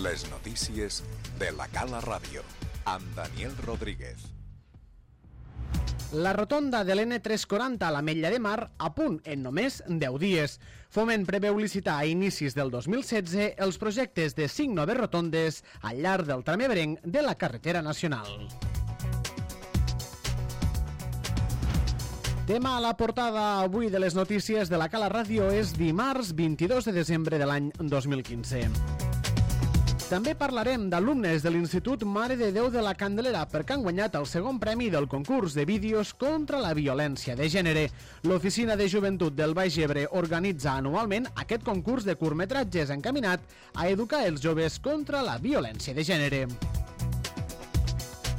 Les notícies de la Cala Ràdio, amb Daniel Rodríguez. La rotonda de l'N340 a l'Ametlla de Mar a punt en només 10 dies. Foment preveu licitar a inicis del 2016 els projectes de 5 noves rotondes al llarg del tram ebrenc de la carretera nacional. Tema a la portada avui de les notícies de la Cala Ràdio és dimarts 22 de desembre de l'any 2015. També parlarem d'alumnes de l'Institut Mare de Déu de la Candelera perquè han guanyat el segon premi del concurs de vídeos contra la violència de gènere. L'Oficina de Joventut del Baix Ebre organitza anualment aquest concurs de curtmetratges encaminat a educar els joves contra la violència de gènere.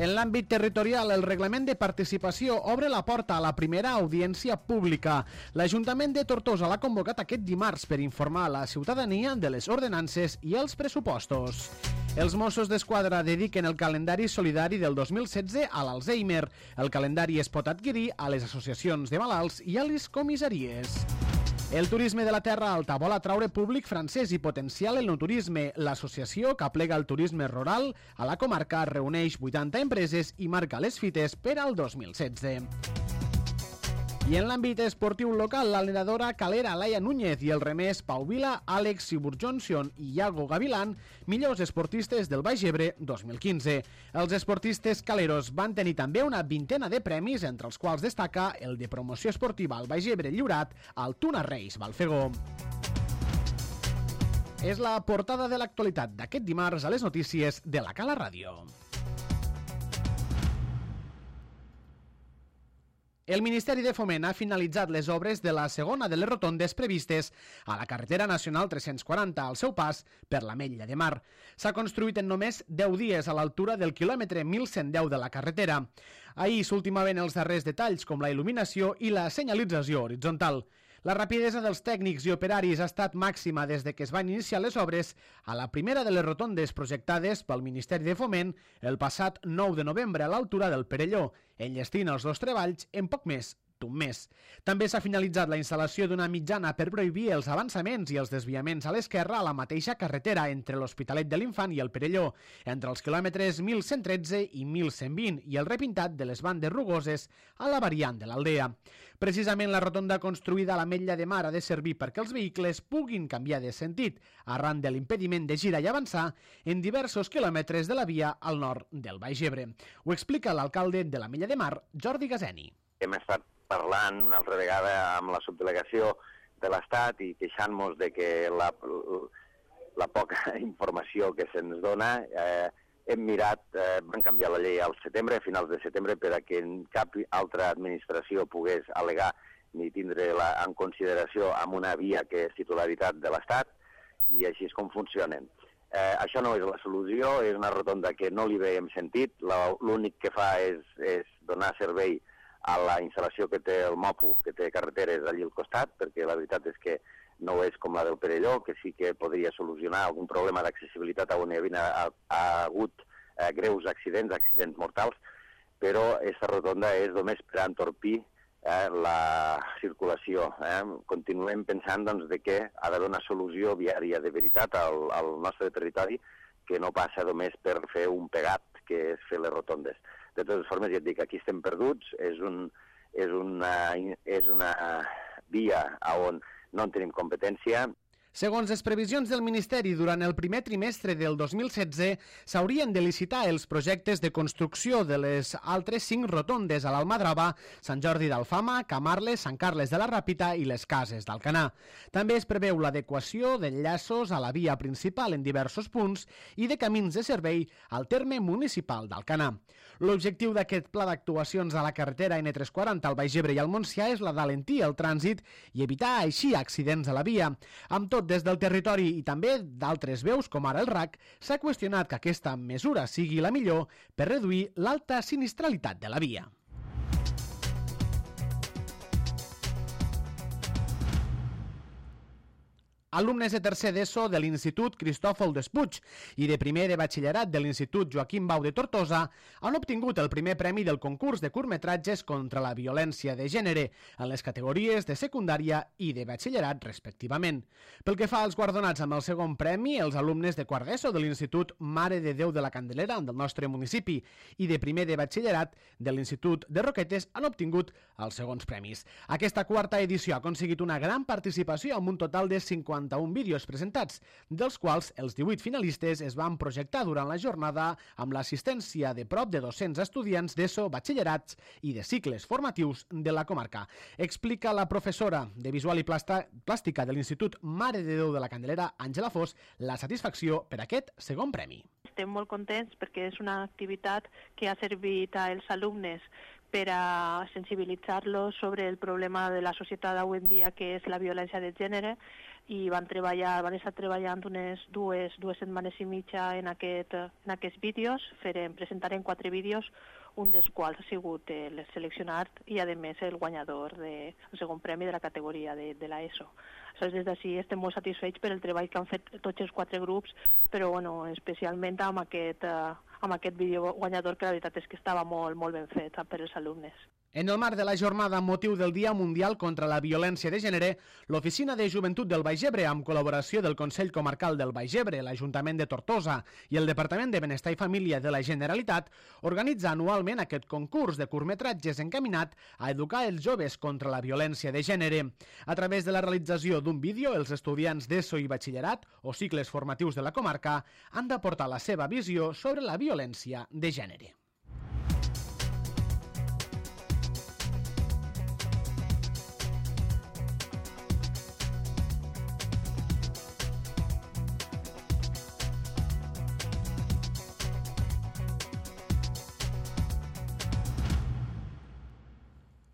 En l'àmbit territorial, el reglament de participació obre la porta a la primera audiència pública. L'Ajuntament de Tortosa l'ha convocat aquest dimarts per informar a la ciutadania de les ordenances i els pressupostos. Els Mossos d'Esquadra dediquen el calendari solidari del 2016 a l'Alzheimer. El calendari es pot adquirir a les associacions de malalts i a les comissaries. El turisme de la Terra Alta vol atraure públic francès i potenciar l'enoturisme. L'associació que aplega el turisme rural a la comarca reuneix 80 empreses i marca les fites per al 2016. I en l'àmbit esportiu local, la nedadora calera Laia Núñez i el remès Pau Vila, Àlex Siburjonsion i Iago Gavilán, millors esportistes del Baix Ebre 2015. Els esportistes caleros van tenir també una vintena de premis, entre els quals destaca el de promoció esportiva al Baix Ebre lliurat al Tuna Reis Balfegó. És la portada de l'actualitat d'aquest dimarts a les notícies de la Cala Ràdio. El Ministeri de Foment ha finalitzat les obres de la segona de les rotondes previstes a la carretera nacional 340 al seu pas per l'Ametlla de Mar. S'ha construït en només 10 dies a l'altura del quilòmetre 1110 de la carretera. Ahir s'ultimaven els darrers detalls com la il·luminació i la senyalització horitzontal. La rapidesa dels tècnics i operaris ha estat màxima des de que es van iniciar les obres a la primera de les rotondes projectades pel Ministeri de Foment el passat 9 de novembre a l'altura del Perelló, enllestint els dos treballs en poc més d'un mes. També s'ha finalitzat la instal·lació d'una mitjana per prohibir els avançaments i els desviaments a l'esquerra a la mateixa carretera entre l'Hospitalet de l'Infant i el Perelló, entre els quilòmetres 1113 i 1120 i el repintat de les bandes rugoses a la variant de l'Aldea. Precisament la rotonda construïda a l'Ametlla de Mar ha de servir perquè els vehicles puguin canviar de sentit arran de l'impediment de girar i avançar en diversos quilòmetres de la via al nord del Baix Ebre. Ho explica l'alcalde de l'Ametlla de Mar, Jordi Gaseni. Hem estat parlant una altra vegada amb la subdelegació de l'Estat i queixant-nos de que la poca informació que se'ns dona. Hem mirat, van canviar la llei al setembre, a finals de setembre, per a que cap altra administració pogués al·legar ni tindre-la en consideració amb una via que és titularitat de l'Estat, i així és com funcionen. Això no és la solució, és una rotonda que no li veiem sentit, l'únic que fa és donar servei a la instal·lació que té el MOPU, que té carreteres allí al costat, perquè la veritat és que no és com la del Perelló, que sí que podria solucionar algun problema d'accessibilitat on hi havia hagut greus accidents mortals, però aquesta rotonda és només per entorpir la circulació. Continuem pensant doncs, de que ha de donar solució viària de veritat al nostre territori, que no passa només per fer un pegat, que és fer les rotondes. De totes formes, ja et dic, aquí estem perduts, és una via on no en tenim competència. Segons les previsions del Ministeri, durant el primer trimestre del 2016 s'haurien de licitar els projectes de construcció de les altres 5 rotondes a l'Almadrava, Sant Jordi d'Alfama, Camarles, Sant Carles de la Ràpita i les Cases d'Alcanar. També es preveu l'adequació d'enllaços a la via principal en diversos punts i de camins de servei al terme municipal d'Alcanar. L'objectiu d'aquest pla d'actuacions a la carretera N340 al Baix Ebre i al Montsià és la d'alentir el trànsit i evitar així accidents a la via. Amb tot, des del territori i també d'altres veus, com ara el RAC, s'ha qüestionat que aquesta mesura sigui la millor per reduir l'alta sinistralitat de la via. Alumnes de tercer d'ESO de l'Institut Cristòfol Despuig i de primer de batxillerat de l'Institut Joaquim Bau de Tortosa han obtingut el primer premi del concurs de curtmetratges contra la violència de gènere en les categories de secundària i de batxillerat, respectivament. Pel que fa als guardonats amb el segon premi, els alumnes de quart d'ESO de l'Institut Mare de Déu de la Candelera del nostre municipi i de primer de batxillerat de l'Institut de Roquetes han obtingut els segons premis. Aquesta quarta edició ha aconseguit una gran participació amb un total de 51 vídeos presentats, dels quals els 18 finalistes es van projectar durant la jornada amb l'assistència de prop de 200 estudiants d'ESO, batxillerats i de cicles formatius de la comarca. Explica la professora de Visual i Plàstica de l'Institut Mare de Déu de la Candelera, Àngela Fos, la satisfacció per aquest segon premi. Estem molt contents perquè és una activitat que ha servit als alumnes per a sensibilitzar-los sobre el problema de la societat d'avui en dia, que és la violència de gènere, i van estar treballant unes dues setmanes i mitja en aquests vídeos. Presentarem 4 vídeos, un dels quals ha sigut el seleccionat i, a més, el guanyador del segon premi de la categoria de l'ESO. Des d'ací estem molt satisfets per el treball que han fet tots els 4 grups, però especialment amb aquest vídeo guanyador, que la veritat és que estava molt ben fet per als alumnes. En el marc de la jornada amb motiu del Dia Mundial contra la Violència de Gènere, l'Oficina de Joventut del Baix Ebre, amb col·laboració del Consell Comarcal del Baix Ebre, l'Ajuntament de Tortosa i el Departament de Benestar i Família de la Generalitat, organitza anualment aquest concurs de curtmetratges encaminat a educar els joves contra la violència de gènere. A través de la realització d'un vídeo, els estudiants d'ESO i batxillerat o cicles formatius de la comarca han d'aportar la seva visió sobre la violència de gènere.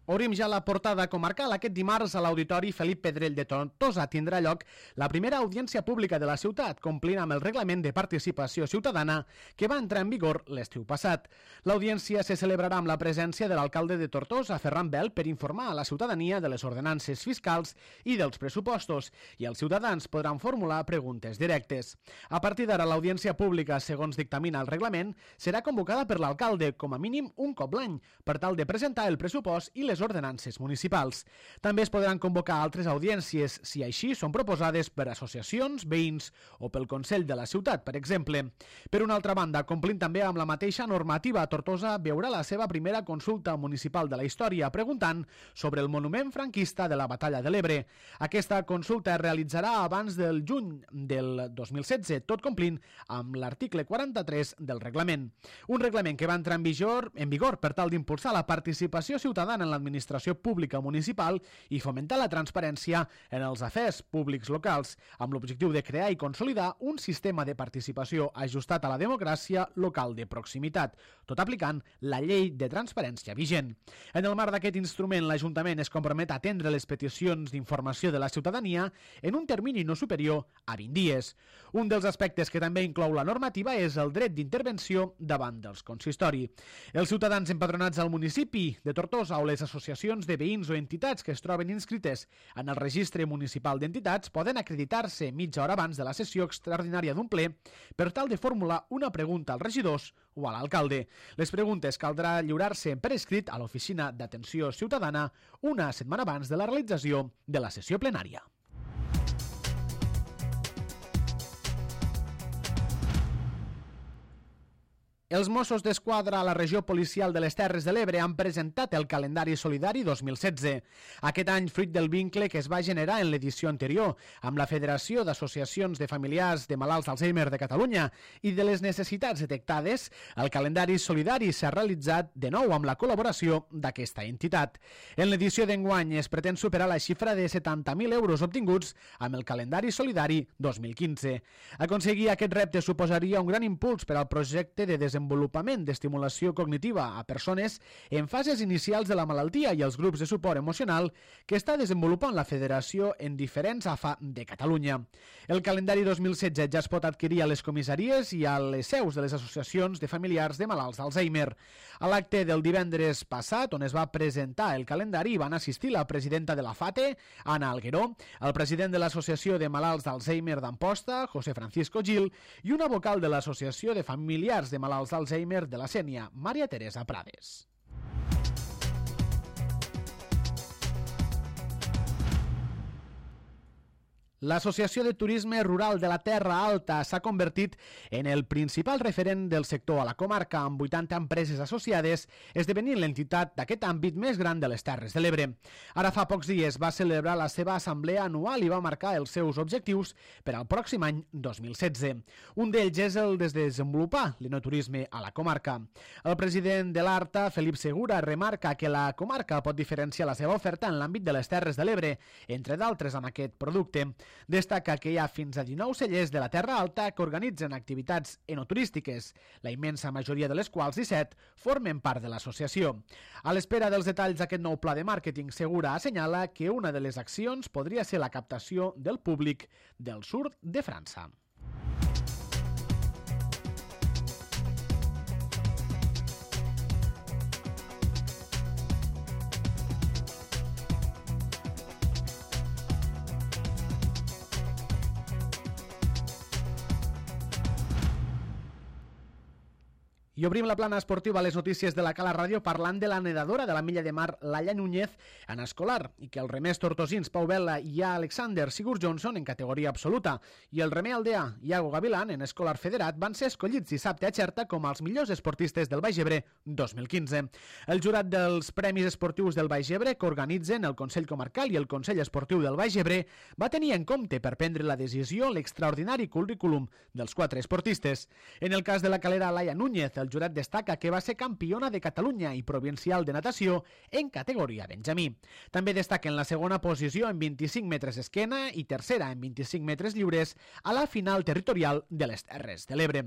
Obrim ja la portada comarcal. Aquest dimarts a l'Auditori Felip Pedrell de Tortosa tindrà lloc la primera audiència pública de la ciutat, complint amb el reglament de participació ciutadana que va entrar en vigor l'estiu passat. L'audiència se celebrarà amb la presència de l'alcalde de Tortosa, Ferran Bel, per informar a la ciutadania de les ordenances fiscals i dels pressupostos, i els ciutadans podran formular preguntes directes. A partir d'ara, l'audiència pública, segons dictamina el reglament, serà convocada per l'alcalde com a mínim un cop l'any, per tal de presentar el pressupost i les ordenances municipals. També es podran convocar altres audiències, si així són proposades per associacions, veïns o pel Consell de la ciutat, per exemple. Per una altra banda, complint també amb la mateixa normativa, Tortosa veurà la seva primera consulta municipal de la història, preguntant sobre el monument franquista de la Batalla de l'Ebre. Aquesta consulta es realitzarà abans del juny del 2016, tot complint amb l'article 43 del reglament. Un reglament que va entrar en vigor per tal d'impulsar la participació ciutadana en l'administració pública municipal i fomentar la transparència en els afers públics locals, amb l'objectiu de crear i consolidar un sistema de participació ajustat a la democràcia local de proximitat, tot aplicant la llei de transparència vigent. En el marc d'aquest instrument, l'Ajuntament es compromet a atendre les peticions d'informació de la ciutadania en un termini no superior a 20 dies. Un dels aspectes que també inclou la normativa és el dret d'intervenció davant dels consistori. Els ciutadans empadronats al municipi de Tortosa o les associacions de veïns o entitats que es troben inscrites en el registre municipal d'entitats poden acreditar-se mitja hora abans de la sessió extraordinària d'un ple per tal de formular una pregunta als regidors o a l'alcalde. Les preguntes caldrà lliurar-se per escrit a l'Oficina d'Atenció Ciutadana una setmana abans de la realització de la sessió plenària. Els Mossos d'Esquadra a la regió policial de les Terres de l'Ebre han presentat el calendari solidari 2016. Aquest any, fruit del vincle que es va generar en l'edició anterior amb la Federació d'Associacions de Familiars de Malalts d'Alzheimer de Catalunya i de les necessitats detectades, el calendari solidari s'ha realitzat de nou amb la col·laboració d'aquesta entitat. En l'edició d'enguany es pretén superar la xifra de 70.000 euros obtinguts amb el calendari solidari 2015. Aconseguir aquest repte suposaria un gran impuls per al projecte de desenvolupament desenvolupament d'estimulació cognitiva a persones en fases inicials de la malaltia i els grups de suport emocional que està desenvolupant la Federació en diferents AFA de Catalunya. El calendari 2016 ja es pot adquirir a les comissaries i a les seus de les associacions de familiars de malalts d'Alzheimer. A l'acte del divendres passat, on es va presentar el calendari, van assistir la presidenta de la FATE, Anna Algueró, el president de l'Associació de Malalts d'Alzheimer d'Amposta, José Francisco Gil, i una vocal de l'Associació de Familiars de Malalts d'Alzheimer de la Sénia, Maria Teresa Prades. L'Associació de Turisme Rural de la Terra Alta s'ha convertit en el principal referent del sector a la comarca, amb 80 empreses associades, esdevenint l'entitat d'aquest àmbit més gran de les Terres de l'Ebre. Ara fa pocs dies va celebrar la seva assemblea anual i va marcar els seus objectius per al pròxim any 2016. Un d'ells és el de desenvolupar l'enoturisme a la comarca. El president de l'ARTA, Felip Segura, remarca que la comarca pot diferenciar la seva oferta en l'àmbit de les Terres de l'Ebre, entre d'altres amb aquest producte. Destaca que hi ha fins a 19 cellers de la Terra Alta que organitzen activitats enoturístiques, la immensa majoria de les quals 17 formen part de l'associació. A l'espera dels detalls d'aquest nou pla de màrqueting, Segura assenyala que una de les accions podria ser la captació del públic del sud de França. I obrim la plana esportiva a les notícies de la Cala Ràdio parlant de la nedadora de la milla de mar Laia Núñez en escolar i que el remès tortosins Pau Vela i Alexander Sigurd Johnson en categoria absoluta i el remer aldea Iago Gavilán en escolar federat van ser escollits dissabte a Xerta com els millors esportistes del Baix Ebre 2015. El jurat dels Premis Esportius del Baix Ebre que organitzen el Consell Comarcal i el Consell Esportiu del Baix Ebre va tenir en compte per prendre la decisió l'extraordinari currículum dels 4 esportistes. En el cas de la calera Laia Núñez, el jurat destaca que va ser campiona de Catalunya i provincial de natació en categoria benjamí. També destaca en la segona posició en 25 metres esquena i tercera en 25 metres lliures a la final territorial de les Terres de l'Ebre.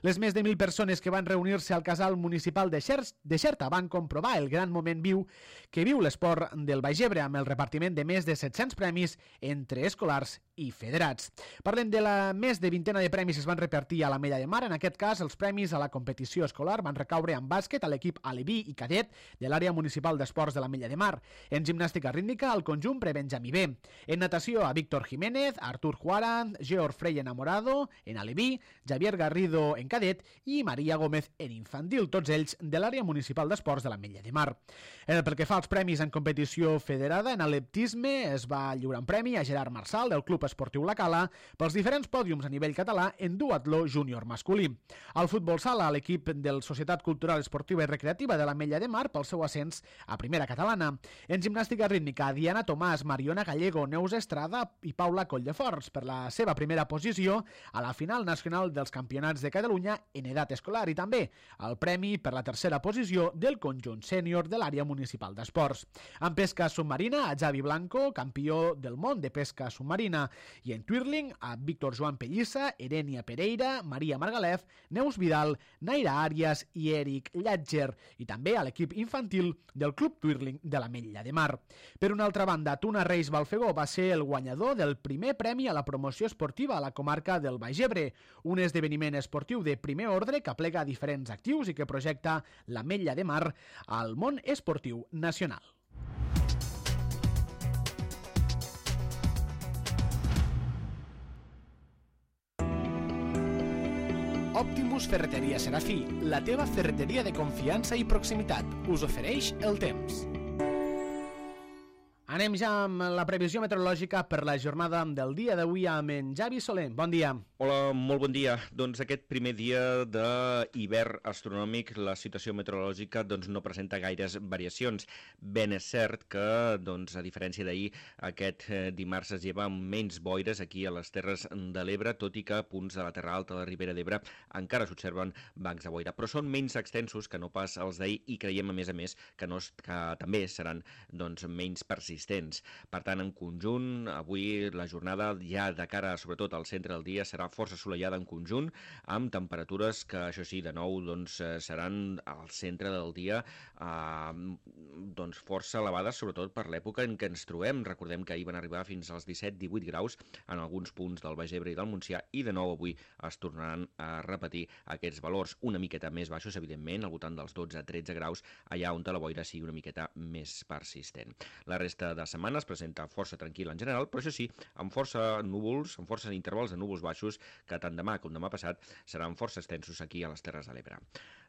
Les més de 1.000 persones que van reunir-se al casal municipal de Xerta van comprovar el gran moment viu que viu l'esport del Baix Ebre amb el repartiment de més de 700 premis entre escolars i federats. Parlem de la més de vintena de premis que es van repartir a la Mella de Mar. En aquest cas, els premis a la competició escolar van recaure en bàsquet a l'equip aleví i cadet de l'àrea municipal d'esports de la Mella de Mar. En gimnàstica rítmica, al conjunt prebenjamí B. En natació, a Víctor Jiménez, Artur Juaran, Georg Frey Enamorado, en aleví, Javier Garrido en cadet i Maria Gómez en infantil, tots ells de l'àrea municipal d'esports de la Mella de Mar. Pel que fa als premis en competició federada, en atletisme es va lliurar un premi a Gerard Marsal del Club Esportiu La Cala pels diferents pòdiums a nivell català en duatló júnior masculí. Al futbol sala, l'equip del Societat Cultural Esportiva i Recreativa de la Mella de Mar pel seu ascens a primera catalana. En gimnàstica rítmica, Diana Tomàs, Mariona Gallego, Neus Estrada i Paula Colldeforts per la seva primera posició a la final nacional dels Campionats de Catalunya en edat escolar i també el premi per la tercera posició del conjunt sènior de l'àrea municipal d'esports. En pesca submarina, a Javi Blanco, campió del món de pesca submarina, i en twirling, a Víctor Joan Pellissa, Erenia Pereira, Maria Margalef, Neus Vidal, Naira Àrias i Eric Llatger, i també a l'equip infantil del Club Twirling de la Mella de Mar. Per una altra banda, Tuna Reis Balfegó va ser el guanyador del primer premi a la promoció esportiva a la comarca del Baix Ebre, un esdeveniment esportiu de primer ordre que aplega diferents actius i que projecta la Mella de Mar al món esportiu nacional. Optimus Ferreteria Serafí, la teva ferreteria de confiança i proximitat, us ofereix el temps. Anem ja amb la previsió meteorològica per la jornada del dia d'avui amb en Javi Soler. Bon dia. Hola, molt bon dia. Doncs aquest primer dia d'hivern astronòmic, la situació meteorològica no presenta gaires variacions. Ben és cert que, a diferència d'ahir, aquest dimarts es lleva amb menys boires aquí a les Terres de l'Ebre, tot i que a punts de la Terra Alta, de la Ribera d'Ebre, encara s'observen bancs de boira. Però són menys extensos que no pas els d'ahir i creiem, a més, que també seran menys persistents. persistents. Per tant, en conjunt, avui la jornada ja de cara, sobretot al centre del dia, serà força assolellada en conjunt, amb temperatures que, això sí, de nou seran al centre del dia força elevades, sobretot per l'època en què ens trobem. Recordem que ahir van arribar fins als 17-18 graus en alguns punts del Baix Ebre i del Montsià, i de nou avui es tornaran a repetir aquests valors una miqueta més baixos, evidentment, al voltant dels 12-13 graus, allà on la boira sigui una miqueta més persistent. La resta de setmana es presenta força tranquil en general, però això sí, amb força núvols, amb força intervals de núvols baixos, que tant demà com demà passat seran força extensos aquí a les Terres de l'Ebre.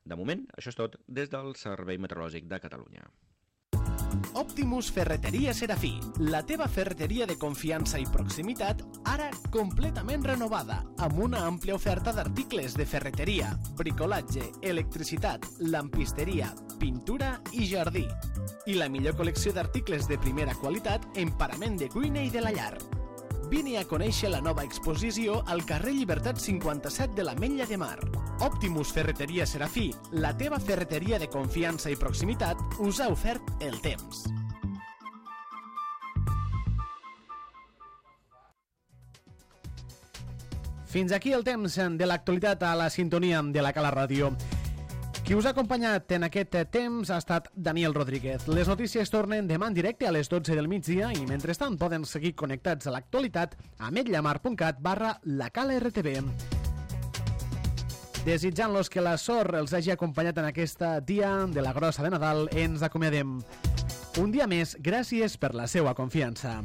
De moment, això és tot des del Servei Meteorològic de Catalunya. Optimus Ferreteria Serafí, la teva ferreteria de confiança i proximitat, ara completament renovada, amb una àmplia oferta d'articles de ferreteria, bricolatge, electricitat, lampisteria, pintura i jardí. I la millor col·lecció d'articles de primera qualitat en parament de cuina i de la llar. Vine a conèixer la nova exposició al carrer Llibertat 57 de l'Ametlla de Mar. Optimus Ferreteria Serafí, la teva ferreteria de confiança i proximitat, us ha ofert el temps. Fins aquí el temps de l'actualitat a la sintonia de la Cala Ràdio. Qui us ha acompanyat en aquest temps ha estat Daniel Rodríguez. Les notícies tornen demà en directe a les 12 del migdia i mentrestant poden seguir connectats a l'actualitat a ametlllamar.cat/lacalartv. Desitjant-los que la sort els hagi acompanyat en aquest dia de la grossa de Nadal, ens acomiadem. Un dia més, gràcies per la seva confiança.